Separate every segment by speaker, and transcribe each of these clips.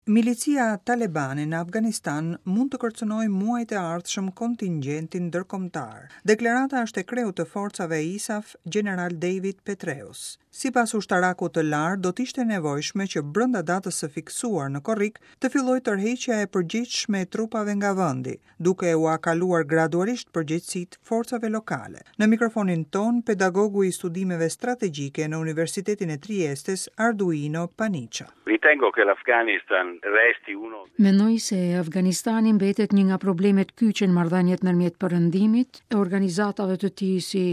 Speaker 1: Milicia talebane në Afganistan mund të kërcënojë muajt e ardhshëm kontingjentin ndërkombëtar. Deklarata është e kreut të forcave ISAF, gjeneral David Petraeus. Sipas ushtarakut të lartë, do të ishte e nevojshme që brenda datës së fiksuar në korrik të fillojë tërheqja e përgjegjshme e trupave nga vendi, duke ua kaluar gradualisht përgjegjësitë forcave lokale. Në mikrofonin tonë, pedagogu i studimeve strategjike në Universitetin e Triestes, Arduino Paniccia.
Speaker 2: Ritengo che l'Afghanistan resti uno
Speaker 3: Mendoj se Afganistani mbetet një nga problemet kyçe në marrëdhëniet ndërmjet Perëndimit e organizatave të tij si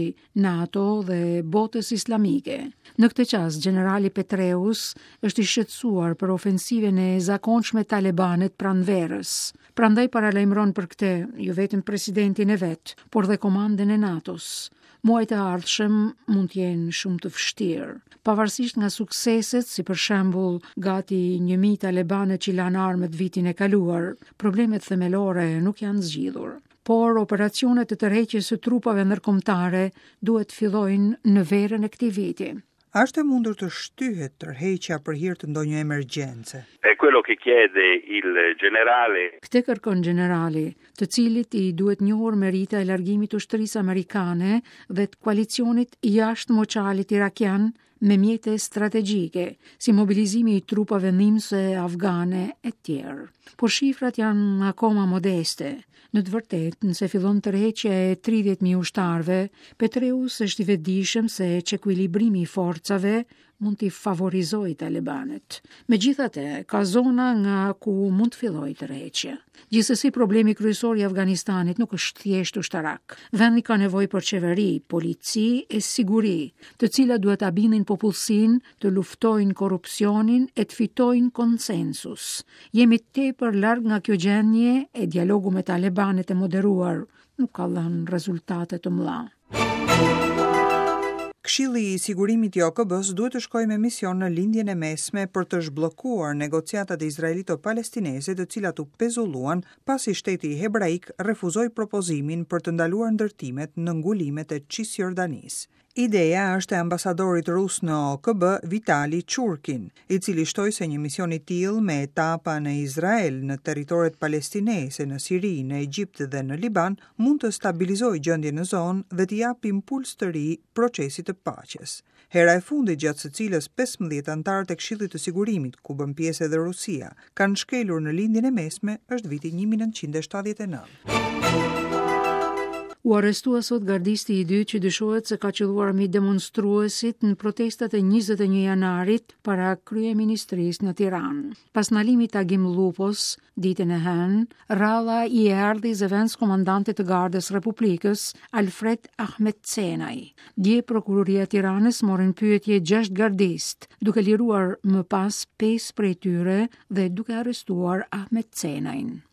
Speaker 3: NATO dhe botës islamike. Në këtë çast, gjenerali Petraeus është i shqetësuar për ofensivën e zakonshme talebane të pranverës. Prandaj paralajmëron për këtë jo vetëm presidentin e vet, por dhe komandën e NATO-s. Muajt e ardhshëm mund të jenë shumë të vështirë. Pavarësisht nga sukseset, si për shembull gati 1000 talebanët që lanë armët vitin e kaluar, problemet themelore nuk janë zgjidhur. Por operacionet e tërheqjes së trupave ndërkombëtare duhet të fillojnë në verën e këtij viti.
Speaker 1: A është e mundur të shtyhet tërheqja për hir të ndonjë emergjence?
Speaker 2: È quello che chiede il generale.
Speaker 3: Këtë kërkon gjenerali, të cilit i duhet njohur merita e largimit të ushtrisë amerikane dhe të koalicionit jashtë moçalit irakian me mjete strategjike, si mobilizimi i trupave ndihmëse afgane e tjerë. Por shifrat janë akoma modeste. Në të vërtetë, nëse fillon tërheqja e 30.000 ushtarëve, Petraeus është i vetëdijshëm se çekuilibrimi i forcave mund t'i favorizojë talebanët. Megjithatë, ka zona nga ku mund të fillojë tërheqja. Gjithsesi, problemi kryesor i Afganistanit nuk është thjesht ushtarak. Vendi ka nevojë për qeveri, polici e siguri, të cilat duhet ta bindin popullsinë të luftojnë korrupsionin e të fitojnë konsensus. Jemi tepër larg nga kjo gjendje e dialogu me talebanët e moderuar nuk ka dhënë rezultate të mëdha.
Speaker 1: Këshilli i Sigurimit i OKB-së duhet të shkojë me mision në Lindjen e Mesme për të zhbllokuar negociatat izraelito-palestineze të cilat u pezulluan pasi shteti hebraik refuzoi propozimin për të ndaluar ndërtimet në ngulimet e Cisjordanisë. Ideja është e ambasadorit rus në OKB, Vitali Churkin, i cili shtoi se një mision i tillë me etapa në Izrael, në territoret palestineze, në Siri, në Egjipt dhe në Liban, mund të stabilizojë gjendjen në zonë dhe t'i japë impuls të ri procesit të paqes. Hera e fundit gjatë së cilës 15 anëtarët e Këshillit të Sigurimit, ku bën pjesë edhe Rusia, kanë shkelur në Lindjen e Mesme është viti 1979.
Speaker 3: U arrestua sot gardisti i dytë që dyshohet se ka qëlluar mbi demonstruesit në protestat e 21 janarit para kryeministrisë në Tiranë. Pas ndalimit të Agim Llupos, ditën e hënë, radha i erdhi zëvendëskomandantit të Gardës Republikës, Alfred Ahmetcenaj. Dje prokuroria e Tiranës mori në pyetje 6 gardistë, duke liruar më pas 5 prej tyre dhe duke arrestuar Ahmetcenajn.